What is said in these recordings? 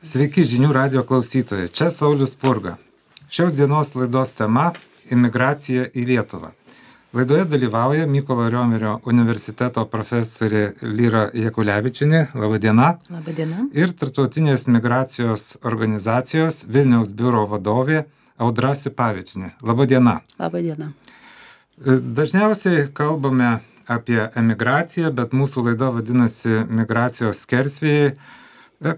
Sveiki žinių radio klausytojai, čia Saulius Spurga. Šios dienos laidos tema – imigracija į Lietuvą. Laidoje dalyvauja Mykolo Riomerio universiteto profesorė Lyra Jakulevičienė, laba diena. Labą dieną. Ir Tarptautinės migracijos organizacijos Vilniaus biuro vadovė Audra Sipavičienė. Laba diena. Labą dieną. Dažniausiai kalbame apie emigraciją, bet mūsų laida vadinasi migracijos skersvėjai,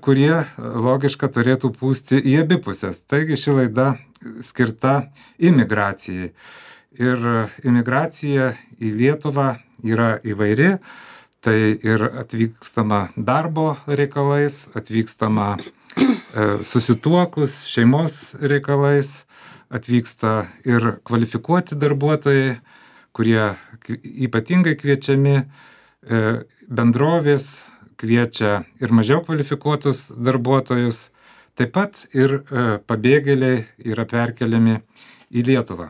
kurie logiška turėtų pūsti į abi pusės. Taigi ši laida skirta imigracijai. Ir imigracija į Lietuvą yra įvairi, tai ir atvykstama darbo reikalais, atvykstama susituokus šeimos reikalais, atvyksta ir kvalifikuoti darbuotojai, kurie ypatingai kviečiami, bendrovės kviečia ir mažiau kvalifikuotus darbuotojus, taip pat ir pabėgėliai yra perkeliami į Lietuvą.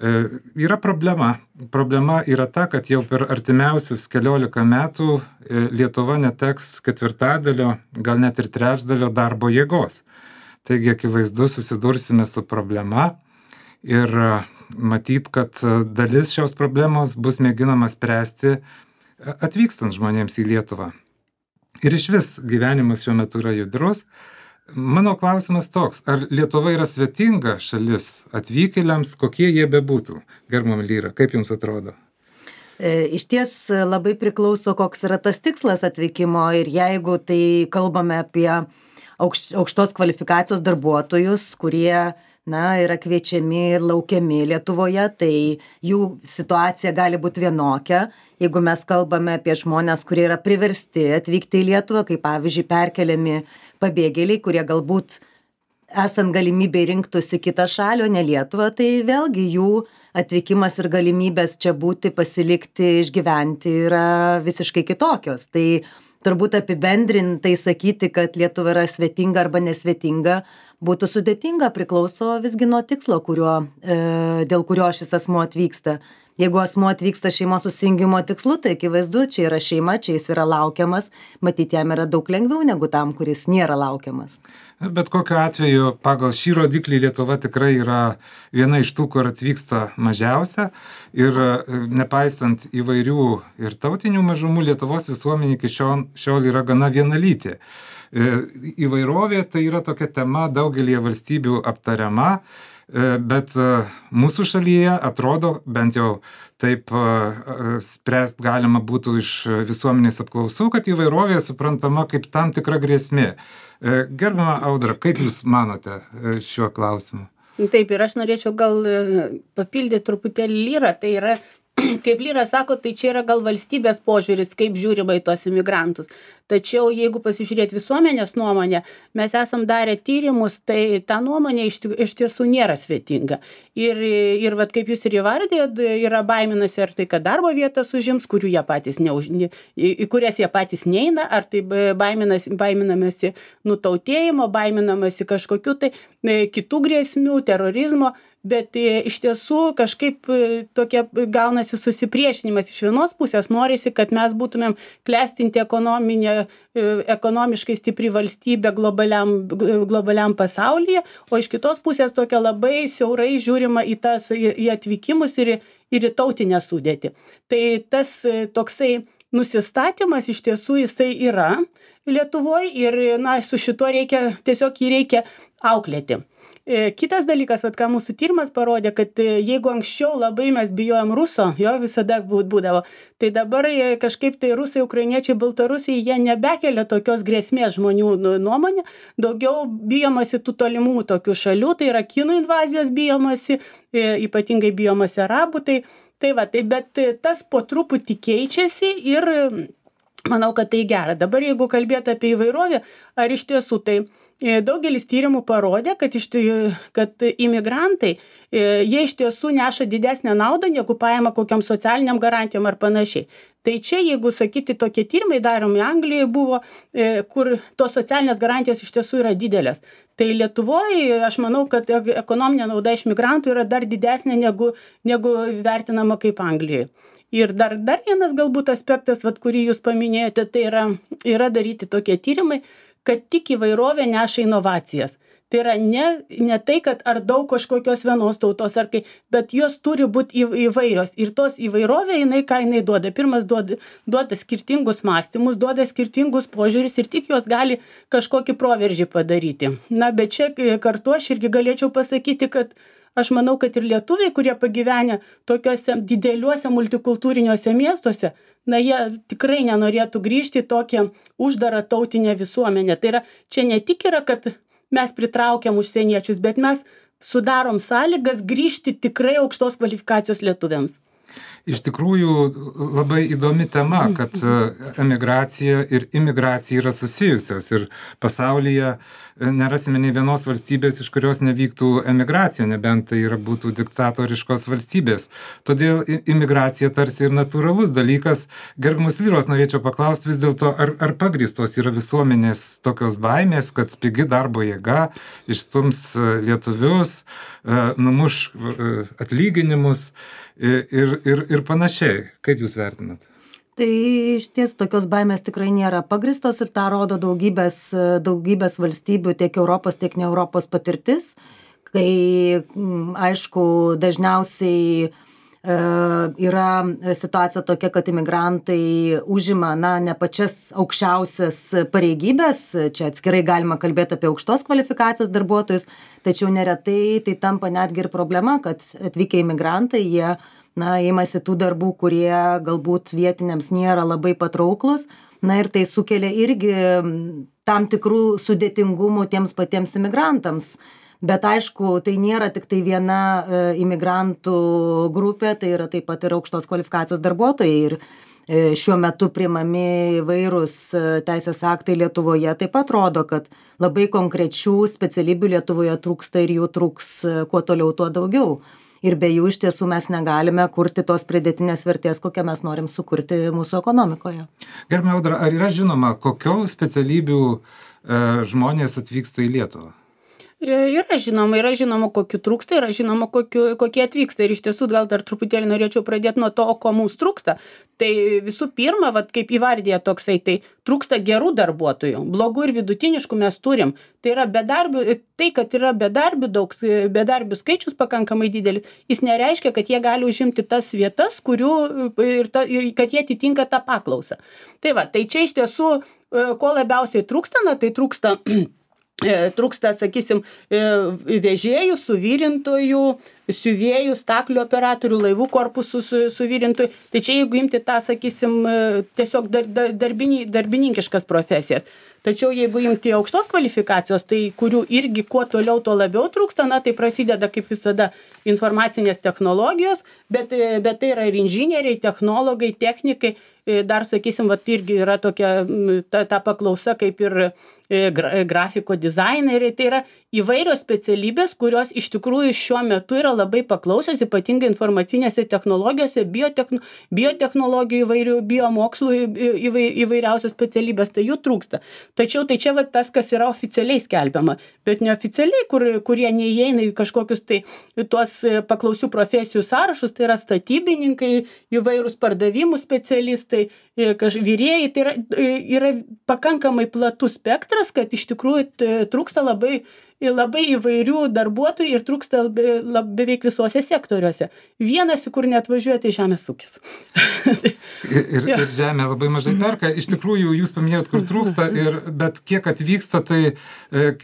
Yra problema. Problema yra ta, kad jau per artimiausius 14 metų Lietuva neteks ketvirtadalio, gal net ir trečdalio darbo jėgos. Taigi akivaizdu susidursime su problema ir matyt, kad dalis šios problemos bus mėginama spręsti atvykstant žmonėms į Lietuvą. Ir išvis gyvenimas šiuo metu yra judrus. Mano klausimas toks, ar Lietuva yra svetinga šalis atvykėliams, kokie jie bebūtų? Gerbiama Lyra, kaip jums atrodo? Iš ties labai priklauso, koks yra tas tikslas atvykimo ir jeigu tai kalbame apie aukštos kvalifikacijos darbuotojus, kurie yra kviečiami ir laukiami Lietuvoje, tai jų situacija gali būti vienokia. Jeigu mes kalbame apie žmonės, kurie yra priversti atvykti į Lietuvą, kaip pavyzdžiui perkeliami pabėgėliai, kurie galbūt esant galimybei rinktųsi kitą šalį, o ne Lietuvą, tai vėlgi jų atvykimas ir galimybės čia būti, pasilikti, išgyventi yra visiškai kitokios. Tai turbūt apibendrintai sakyti, kad Lietuva yra svetinga arba nesvetinga, būtų sudėtinga, priklauso visgi nuo tikslo, dėl kurio šis asmuo atvyksta. Jeigu asmuo atvyksta šeimos susijungimo tikslu, tai akivaizdu, čia yra šeima, čia jis yra laukiamas, matyti jam yra daug lengviau negu tam, kuris nėra laukiamas. Bet kokiu atveju, pagal šį rodiklį Lietuva tikrai yra viena iš tų, kur atvyksta mažiausia ir nepaisant įvairių ir tautinių mažumų, Lietuvos visuomenė iki šiol yra gana vienalytė. Įvairovė tai yra tokia tema daugelį valstybių aptariama, bet mūsų šalyje atrodo, bent jau taip spręst galima būtų iš visuomenės apklausų, kad įvairovė suprantama kaip tam tikra grėsmė. Gerbiama Audra, kaip Jūs manote šiuo klausimu? Taip, ir aš norėčiau gal papildyti truputėlį Lyrą, tai yra, kaip Lyra sako, tai čia yra gal valstybės požiūris, kaip žiūrima į tos imigrantus. Tačiau jeigu pasižiūrėti visuomenės nuomonę, mes esam darę tyrimus, tai ta nuomonė iš tiesų nėra svetinga. Ir vat, kaip jūs ir įvardėjot, yra baiminasi ar tai, kad darbo vietas užims, kurių jie patys į kurias jie patys neina, ar tai baiminamasi nutautėjimo, baiminamasi kažkokiu tai kitų grėsmių, terorizmo. Bet iš tiesų kažkaip tokia gaunasi susipriešinimas. Iš vienos pusės norisi, kad mes būtumėm klestinti ekonomiškai stipri valstybė globaliam pasaulyje, o iš kitos pusės tokia labai siaurai žiūrima į atvykimus ir į tautinę sudėtį. Tai tas toksai nusistatymas iš tiesų jisai yra Lietuvoje ir su šituo tiesiog jį reikia auklėti. Kitas dalykas, ką mūsų tyrimas parodė, kad jeigu anksčiau labai mes bijojom ruso, jo visada būdavo, tai dabar kažkaip tai rusai, ukrainiečiai, baltarusiai, jie nebekelia tokios grėsmės žmonių nuomonė, daugiau bijomasi tų tolimų tokių šalių, tai yra kinų invazijos bijomasi, ypatingai bijomasi arabų, bet tas po truputį keičiasi ir manau, kad tai gera. Dabar jeigu kalbėti apie įvairovę, ar iš tiesų tai daugelis tyrimų parodė, kad imigrantai, jie iš tiesų neša didesnę naudą, negu paima kokiam socialiniam garantijom ar panašiai. Tai čia, jeigu sakyti, tokie tyrimai daromi Anglijoje buvo, kur tos socialinės garantijos iš tiesų yra didelės. Tai Lietuvoje, aš manau, kad ekonominė nauda iš migrantų yra dar didesnė negu vertinama kaip Anglijoje. Ir dar vienas galbūt aspektas, kurį jūs paminėjote, tai yra daryti tokie tyrimai, kad tik įvairovė neša inovacijas. Tai yra ne tai, kad ar daug kažkokios vienos tautos, bet jos turi būti įvairios. Ir tos įvairovė, ką jinai duoda. Pirmas duoda skirtingus mąstymus, duoda skirtingus požiūris ir tik jos gali kažkokį proveržį padaryti. Na, bet čia kartu aš irgi galėčiau pasakyti, kad aš manau, kad ir lietuviai, kurie pagyvenę tokiuose dideliuose multikultūriniuose miestuose, na, jie tikrai nenorėtų grįžti į tokią uždarą tautinę visuomenę. Tai yra, čia ne tik yra, kad mes pritraukiam užsieniečius, bet mes sudarom sąlygas grįžti tikrai aukštos kvalifikacijos lietuviams. Iš tikrųjų labai įdomi tema, kad emigracija ir imigracija yra susijusios ir pasaulyje nerasime nei vienos valstybės, iš kurios nevyktų emigracija, nebent tai būtų diktatoriškos valstybės. Todėl imigracija tarsi ir natūralus dalykas. Gerbiamos vyros, norėčiau paklausti vis dėlto, ar pagrįstos yra visuomenės tokios baimės, kad pigi darbo jėga išstums lietuvius, numuš atlyginimus ir panašiai. Kaip jūs vertinat? Tai iš ties tokios baimės tikrai nėra pagrįstos ir tą rodo daugybės valstybių, tiek Europos, tiek ne Europos patirtis, kai, aišku, dažniausiai yra situacija tokia, kad imigrantai užima, ne pačias aukščiausias pareigybės, čia atskirai galima kalbėti apie aukštos kvalifikacijos darbuotojus, tačiau neretai tai tampa netgi ir problema, kad atvykę imigrantai, jie imasi tų darbų, kurie galbūt vietiniams nėra labai patrauklus, ir tai sukelia irgi tam tikrų sudėtingumų tiems patiems imigrantams. Bet aišku, tai nėra tik tai viena imigrantų grupė, tai yra taip pat ir aukštos kvalifikacijos darbuotojai. Ir šiuo metu priimami įvairūs teisės aktai Lietuvoje taip pat rodo, kad labai konkrečių specialybių Lietuvoje trūksta ir jų trūks kuo toliau, tuo daugiau. Ir be jų iš tiesų mes negalime kurti tos pridėtinės vertės, kokią mes norim sukurti mūsų ekonomikoje. Gerbiama Audra, ar yra žinoma, kokių specialybių žmonės atvyksta į Lietuvą? Yra žinoma, kokių trūksta, yra žinoma, kokie atvyksta. Ir iš tiesų gal dar truputėlį norėčiau pradėti nuo to, ko mums trūksta. Tai visų pirma, kaip įvardė toksai, tai trūksta gerų darbuotojų. Blogų ir vidutiniškų mes turim. Tai yra kad yra bedarbių skaičius pakankamai didelis, jis nereiškia, kad jie gali užimti tas vietas, ir kad jie atitinka tą paklausą. Tai čia iš tiesų, ko labiausiai trūksta, tai trūksta, sakysim, vežėjų, suvirintojų, siuvėjų, staklių operatorių, laivų korpusų suvirintojų. Tai čia jeigu imti tą, sakysim, tiesiog darbininkiškas profesijas. Tačiau jeigu imti aukštos kvalifikacijos, tai kurių irgi kuo toliau, tuo labiau trūksta, tai prasideda kaip visada informacinės technologijos, bet tai yra ir inžinieriai, technologai, technikai. Dar, sakysim, irgi yra tokia ta paklausa kaip ir grafiko dizaineriai. Tai yra įvairios specialybės, kurios iš tikrųjų šiuo metu yra labai paklausios, ypatingai informacinėse technologijose, biotechnologijų įvairių, biomokslų įvairiausios specialybės, tai jų trūksta. Tačiau tai čia tas, kas yra oficialiai skelbiama, bet neoficialiai, kurie neįeina į kažkokius tuos paklausių profesijų sąrašus, tai yra statybininkai, įvairūs pardavimų specialistai, virėjai, tai yra pakankamai platus spektras, kad iš tikrųjų trūksta labai įvairių darbuotojų ir trūksta beveik visuose sektoriuose. Vienas, kur neatvažiuoja, tai žemės ūkis. Ir žemė labai mažai perka. Iš tikrųjų, jūs paminėjot, kur trūksta, bet kiek atvyksta, tai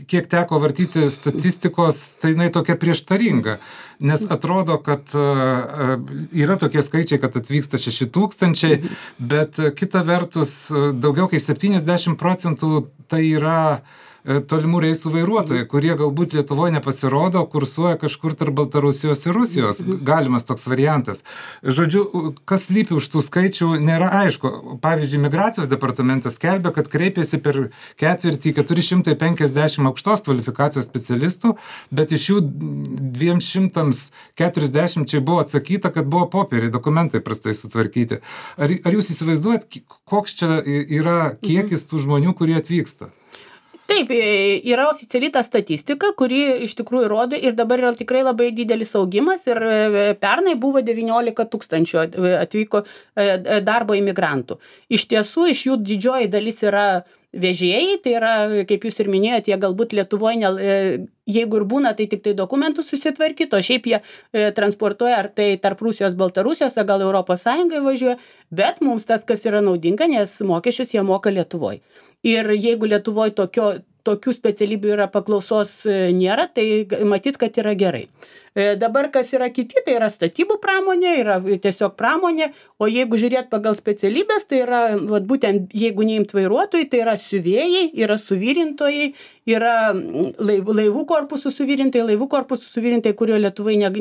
kiek teko vartyti statistikos, tai jinai tokia prieštaringa. Nes atrodo, kad yra tokie skaičiai, kad atvyksta 6,000, bet kita vertus, daugiau kaip 70% tai yra tolimų reisų vairuotojai, kurie galbūt Lietuvoje nepasirodo, kursuoja kažkur tarp Baltarusijos ir Rusijos. Galimas toks variantas. Žodžiu, kas slypi už tų skaičių, nėra aišku. Pavyzdžiui, migracijos departamentas skelbia, kad kreipėsi per ketvirtį 450 aukštos kvalifikacijos specialistų, bet iš jų 240 buvo atsakyta, kad buvo popieriai, dokumentai prastai sutvarkyti. Ar jūs įsivaizduojat, koks čia yra kiekis tų žmonių, kurie atvyksta? Tai Taip, yra oficialiai ta statistika, kuri iš tikrųjų rodo ir dabar yra tikrai labai didelis augimas ir pernai buvo 19 000 atvyko darbo imigrantų. Iš tiesų, iš jų didžioji dalis yra vežėjai, tai yra, kaip jūs ir minėjote, jie galbūt Lietuvoje, jeigu ir būna, tai tik tai dokumentus susitvarkyti, o šiaip jie transportuoja ar tai tarp Rusijos, Baltarusijos, gal Europos Sąjungai važiuoja, bet mums tas, kas yra naudinga, nes mokesčius jie moka Lietuvoje. Ir jeigu Lietuvoje tokių specialybių yra paklausos nėra, tai matyt, kad yra gerai. Dabar kas yra kiti, tai yra statybų pramonė, yra tiesiog pramonė, o jeigu žiūrėt pagal specialybės, tai yra, būtent jeigu neimt vairuotojai, tai yra siuvėjai, yra suvirintojai, yra laivų korpusų suvirintojai, kurio Lietuvoje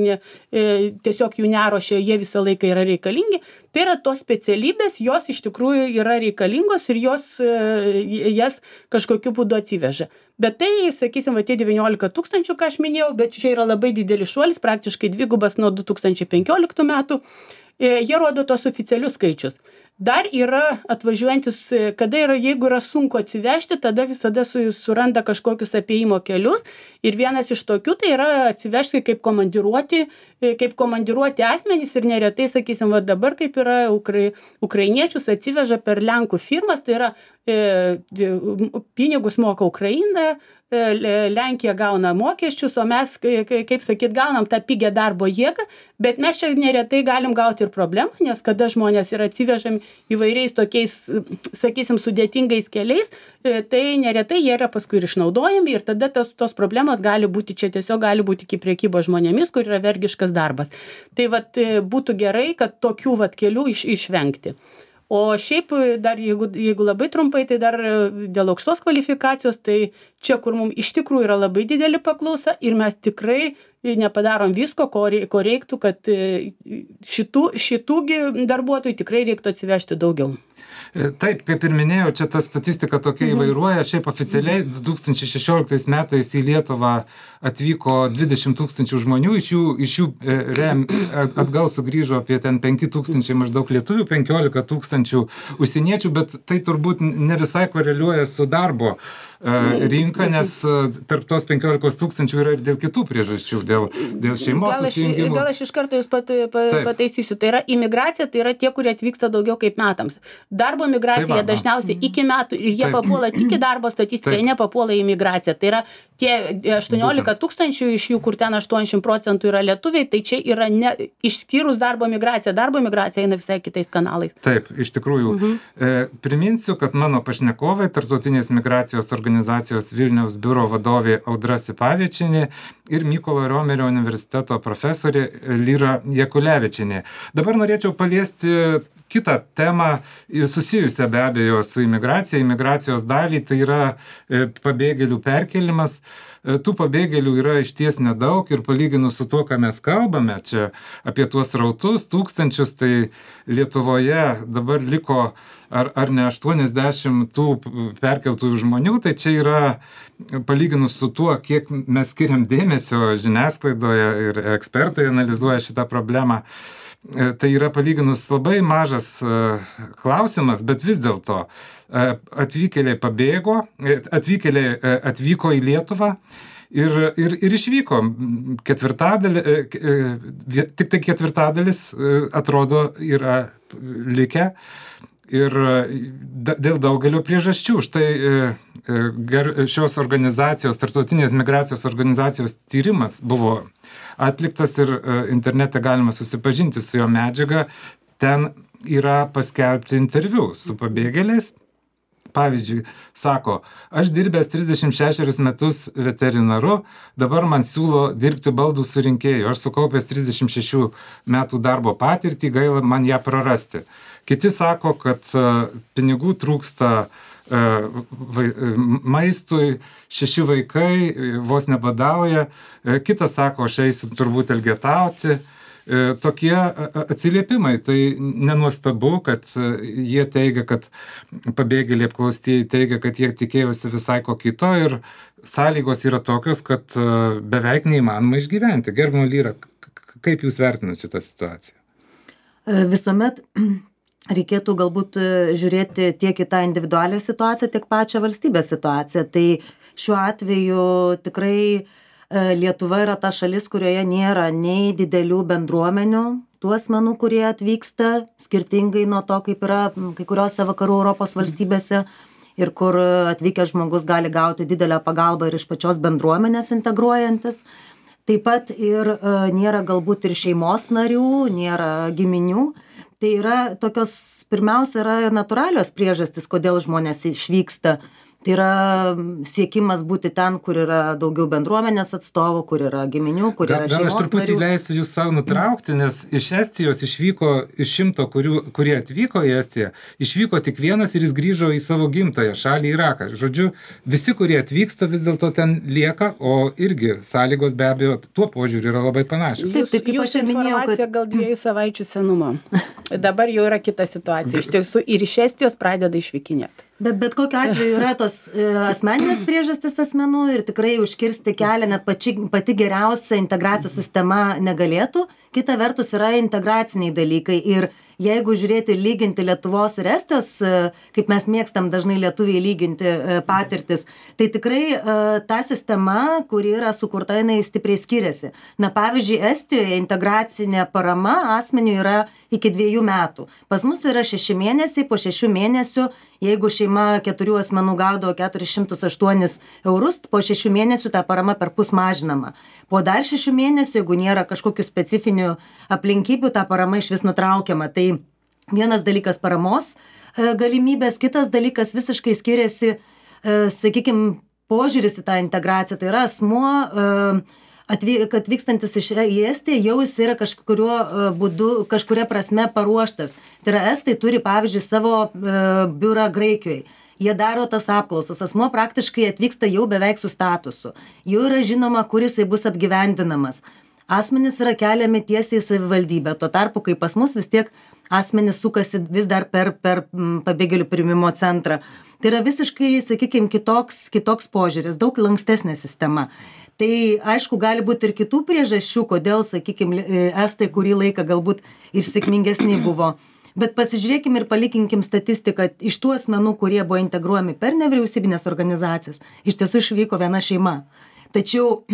tiesiog jų neruošia, jie visą laiką yra reikalingi. Tai yra tos specialybės, jos iš tikrųjų yra reikalingos ir jas kažkokiu būdu atsiveža. Bet tai, sakysim, tie 19 000, ką aš minėjau, bet čia yra labai didelis šuolis, praktiškai dvigubas nuo 2015 metų. Jie rodo tos oficialius skaičius. Dar yra atvažiuojantis, jeigu yra sunku atsivežti, tada visada suranda kažkokius apėjimo kelius. Ir vienas iš tokių tai yra atsivežti kaip komandiruoti asmenys ir neretai, sakysim, dabar kaip yra ukrainiečius atsiveža per Lenkų firmas, tai yra pinigus moka Ukraina, Lenkija gauna mokesčius, o mes, kaip sakyt, gaunam tą pigią darbo jėgą, bet mes čia neretai galim gauti ir problemą, nes kada žmonės yra atsivežami įvairiais tokiais, sakysim, sudėtingais keliais, tai neretai jie yra paskui ir išnaudojami ir tada tos problemos gali būti, čia tiesiog gali būti iki prekybos žmonėmis, kur yra vergiškas darbas. Tai būtų gerai, kad tokių kelių išvengti. O šiaip dar, jeigu labai trumpai, tai dar dėl aukštos kvalifikacijos, tai čia, kur mums iš tikrųjų yra labai didelė paklausa ir mes tikrai nepadarom visko, ko reiktų, kad šitų darbuotojų tikrai reiktų atsivežti daugiau. Taip, kaip ir minėjau, čia ta statistika tokia įvairuoja. Šiaip oficialiai 2016 metais į Lietuvą atvyko 20 000 žmonių, iš jų atgal sugrįžo apie 5 000 maždaug lietuvių, 15 000 užsieniečių, bet tai turbūt ne visai koreliuoja su darbo rinka, nes tarp tos 15 000 yra ir dėl kitų priežasčių, dėl šeimos susijungimų. Gal aš iš karto jūs pataisysiu. Tai yra imigracija, tai yra tie, kurie atvyksta daugiau kaip metams. Darbo migracija dažniausiai iki metų ir jie papuola tik į darbo statistiką, jie nepapuola į imigraciją. Tai yra tie 18 000, iš jų, kur ten 80% yra lietuviai, tai čia yra išskyrus darbo migraciją. Darbo migracija eina visai kitais kanalais. Taip, iš tikrųjų. Priminsiu, kad mano pašnekovai Tarptautinės migracijos organizacijos Vilniaus biuro vadovė Audra Sipavičienė ir Mykolo Riomerio universiteto profesorė Lyra Jakulevičienė. Dabar norėčiau paliesti kitą temą, susijusią be abejo su imigracijos dalį, tai yra pabėgėlių perkelimas. Tų pabėgėlių yra išties nedaug ir palyginus su tuo, ką mes kalbame čia apie tuos srautus, tūkstančius, tai Lietuvoje dabar liko ar ne 80 tų perkeltųjų žmonių, tai čia yra palyginus su tuo, kiek mes skiriam dėmesio žiniasklaidoje ir ekspertai analizuoja šitą problemą. Tai yra palyginus labai mažas klausimas, bet vis dėlto atvykėliai atvyko į Lietuvą ir išvyko. Tik tai ketvirtadalis atrodo yra likę ir dėl daugelio priežasčių. Štai šios organizacijos, Tarptautinės migracijos organizacijos tyrimas buvo atliktas ir internete galima susipažinti su jo medžiaga. Ten yra paskelbti interviu su pabėgėliais. Pavyzdžiui, sako, aš dirbęs 36 metus veterinaru, dabar man siūlo dirbti baldų surinkėjų. Aš sukaupęs 36 metų darbo patirtį, gaila man ją prarasti. Kiti sako, kad pinigų trūksta maistui, 6 vaikai vos nebadauja. Kitas sako, aš eisiu turbūt elgetauti. Tokie atsiliepimai, tai nenuostabu, kad jie teigia, kad pabėgėliai apklaustieji teigia, kad jie tikėjosi visai ko kito ir sąlygos yra tokios, kad beveik neįmanoma išgyventi. Gerbiama Lyra, kaip jūs vertinate šitą situaciją? Visuomet reikėtų galbūt žiūrėti tiek į tą individualią situaciją, tiek pačią valstybės situaciją. Tai šiuo atveju tikrai Lietuva yra ta šalis, kurioje nėra nei didelių bendruomenių tų asmenų, kurie atvyksta, skirtingai nuo to, kaip yra kai kuriuose vakarų Europos valstybėse ir kur atvykęs žmogus gali gauti didelę pagalbą ir iš pačios bendruomenės integruojantis. Taip pat ir nėra galbūt ir šeimos narių, nėra giminių. Tai yra tokios, pirmiausia, yra natūralios priežastys, kodėl žmonės išvyksta. Tai yra siekimas būti ten, kur yra daugiau bendruomenės atstovų, kur yra giminių, kur yra šeimos narių. Gal aš truputį leisiu jūs savo nutraukti, nes iš Estijos išvyko, iš 100, kurie atvyko į Estiją, išvyko tik vienas ir jis grįžo į savo gimtąją šalį Iraką. Žodžiu, visi, kurie atvyksta, vis dėlto ten lieka, o irgi sąlygos be abejo tuo požiūriu yra labai panašios. Taip, jūsų informacija gal 2 savaičių senumo. Dabar jau yra kita situacija. Iš tiesų ir iš Estijos pradeda išvykinėti. Bet kokiu atveju yra tos asmeninės priežastys asmenų ir tikrai užkirsti kelią net pati geriausia integracijos sistema negalėtų. Kita vertus yra integraciniai dalykai ir jeigu žiūrėti ir lyginti Lietuvos ir Estijos, kaip mes mėgstam dažnai lietuviai lyginti patirtis, tai tikrai ta sistema, kuri yra sukurta, jinai stipriai skiriasi. Na, pavyzdžiui, Estijoje integracinė parama asmeniui yra iki 2 metų. Pas mus yra 6 mėnesiai, po 6 mėnesių, jeigu šeima 4 asmenų gaudavo 408 eurus, po 6 mėnesių ta parama perpus mažinama. Po dar 6 mėnesių, jeigu nėra kažkokių specifinių aplinkybių, ta parama iš vis nutraukiama. Tai vienas dalykas paramos galimybės, kitas dalykas visiškai skiriasi, sakykime, požiūris į tą integraciją. Tai yra asmuo atvykstantis į Estiją, jau jis yra kažkuriuo būdu, kažkuria prasme paruoštas. Tai yra estai turi, pavyzdžiui, savo biurą Graikijoje. Jie daro tas apklausas, asmuo praktiškai atvyksta jau beveik su statusu. Jau yra žinoma, kur jisai bus apgyvendinamas. Asmenys yra keliami tiesiai į savivaldybę. Tuo tarpu, kai pas mus vis tiek asmenys sukasi vis dar per pabėgėlių priėmimo centrą. Tai yra visiškai, sakykime, kitoks požiūris, daug lankstesnė sistema. Tai aišku, gali būti ir kitų priežasčių, kodėl, sakykime, estai kurį laiką galbūt ir sėkmingesni buvo. Bet pasižiūrėkim ir palikinkim statistiką iš tų asmenų, kurie buvo integruojami per nevyriausybinės organizacijas. Iš tiesų išvyko viena šeima. Tačiau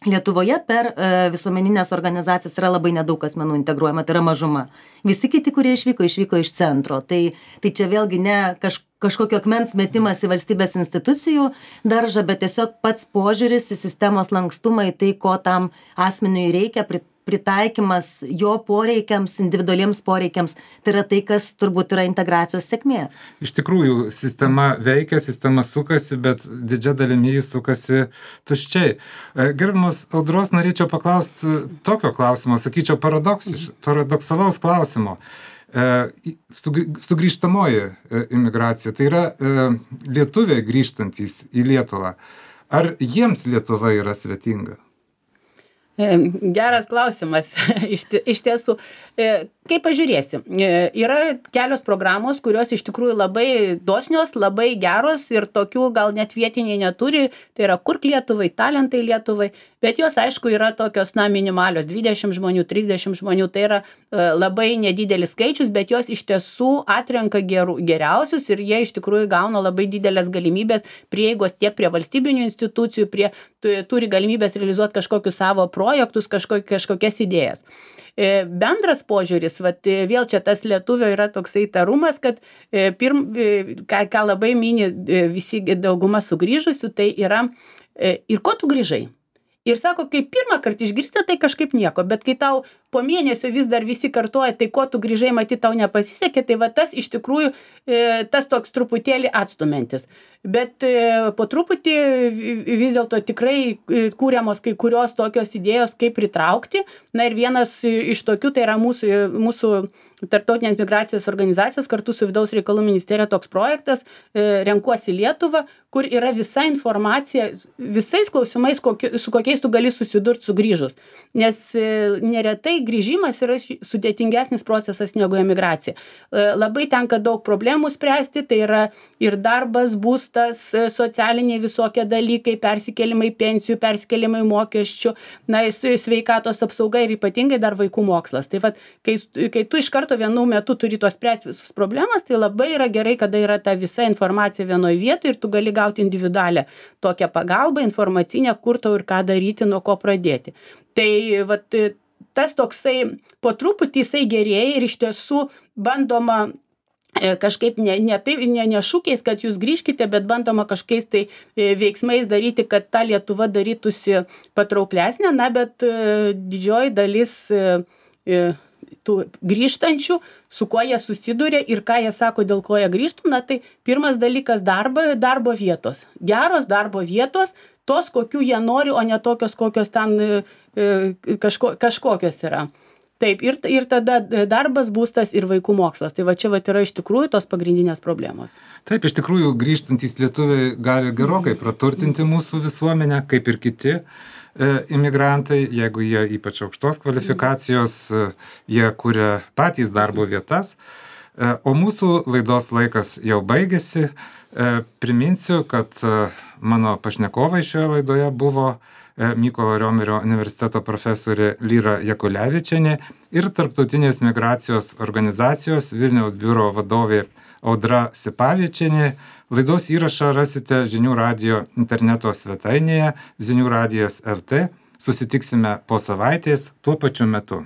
Lietuvoje per visuomeninės organizacijas yra labai nedaug asmenų integruojama, tai yra mažuma. Visi kiti, kurie išvyko iš centro. Tai čia vėlgi ne kažkokio akmens metimas į valstybės institucijų daržą, bet tiesiog pats požiūris į sistemos lankstumą, į tai, ko tam asmeniui reikia, pritaikymas jo poreikiams, individualiems poreikiams, tai yra tai, kas turbūt yra integracijos sėkmė. Iš tikrųjų, sistema veikia, sistema sukasi, bet didžia dalimi jis sukasi tuščiai. Gerbiamos Audros, norėčiau paklausti tokio klausimo, sakyčiau, paradoksalaus klausimo. Sugrįžtamoji imigracija, tai yra lietuviai grįžtantys į Lietuvą. Ar jiems Lietuva yra svetinga? Geras klausimas. Iš tiesų, kaip pažiūrėsim, yra kelios programos, kurios iš tikrųjų labai dosnios, labai geros ir tokių gal net vietiniai neturi, tai yra Kurk Lietuvai, Talentai Lietuvai, bet jos aišku yra tokios, minimalios, 20 žmonių, 30 žmonių, tai yra labai nedidelis skaičius, bet jos iš tiesų atrenka geriausius ir jie iš tikrųjų gauna labai didelės galimybės prieigos tiek prie valstybinių institucijų, turi galimybės realizuoti kažkokius savo projektus, kažkokias idėjas. Bendras požiūris, vėl čia tas lietuvio yra toksai tarumas, kad ką labai mini visi dauguma sugrįžusių, tai yra ir ko tu grįžai. Ir sako, kai pirmą kartą išgirsti, tai kažkaip nieko, bet kai tau po mėnesio vis dar visi kartuoja, tai ko tu grįžai, matyt, tau nepasisekė, tai tas iš tikrųjų tas toks truputėlį atstumiantis. Bet po truputį vis dėlto tikrai kūriamos kai kurios tokios idėjos, kaip pritraukti. Na ir vienas iš tokių, tai yra mūsų Tarptautinės migracijos organizacijos kartu su Vidaus reikalų ministerija toks projektas Renkuosi Lietuvą, kur yra visa informacija, visais klausimais, su kokiais tu gali susidurti sugrįžus. Nes neretai grįžimas yra sudėtingesnis procesas negu emigracija. Labai tenka daug problemų spręsti, tai yra ir darbas, būstas, socialiniai visokie dalykai, persikėlimai pensijų, persikėlimai mokesčių, sveikatos apsauga ir ypatingai dar vaikų mokslas. Tai vat, kai tu iš karto vienu metu turi tos spręsti visus problemas, tai labai yra gerai, kada yra ta visa informacija vienoje vietoje ir tu gali gauti individualią tokią pagalbą informacinę, kur tau ir ką daryti, nuo ko pradėti. Tai vat, tas toksai po truputį jisai gerėja ir iš tiesų bandoma kažkaip ne šūkiais, kad jūs grįžkite, bet bandoma kažkokiais tai veiksmais daryti, kad ta Lietuva darytųsi patrauklesnė, bet didžioji dalis tų grįžtančių, su kuo jie susiduria ir ką jie sako, dėl ko jie grįžtų, tai pirmas dalykas darbo vietos. Geros darbo vietos, tos, kokių jie nori, o ne tokios, kokios ten kažkokios yra. Taip, ir tada darbas, būstas ir vaikų mokslas. Tai va čia yra iš tikrųjų tos pagrindinės problemos. Taip, iš tikrųjų grįžtantys lietuviai gali gerokai praturtinti mūsų visuomenę, kaip ir kiti imigrantai, jeigu jie ypač aukštos kvalifikacijos, jie kuria patys darbo vietas. O mūsų laidos laikas jau baigėsi. Priminsiu, kad mano pašnekovai šioje laidoje buvo Mykolo Riomerio universiteto profesorė Lyra Jakulevičienė ir Tarptautinės migracijos organizacijos Vilniaus biuro vadovė Audra Sipavičienė. Laidos įrašą rasite Žinių radijo interneto svetainėje Zinių radijas LT. Susitiksime po savaitės tuo pačiu metu.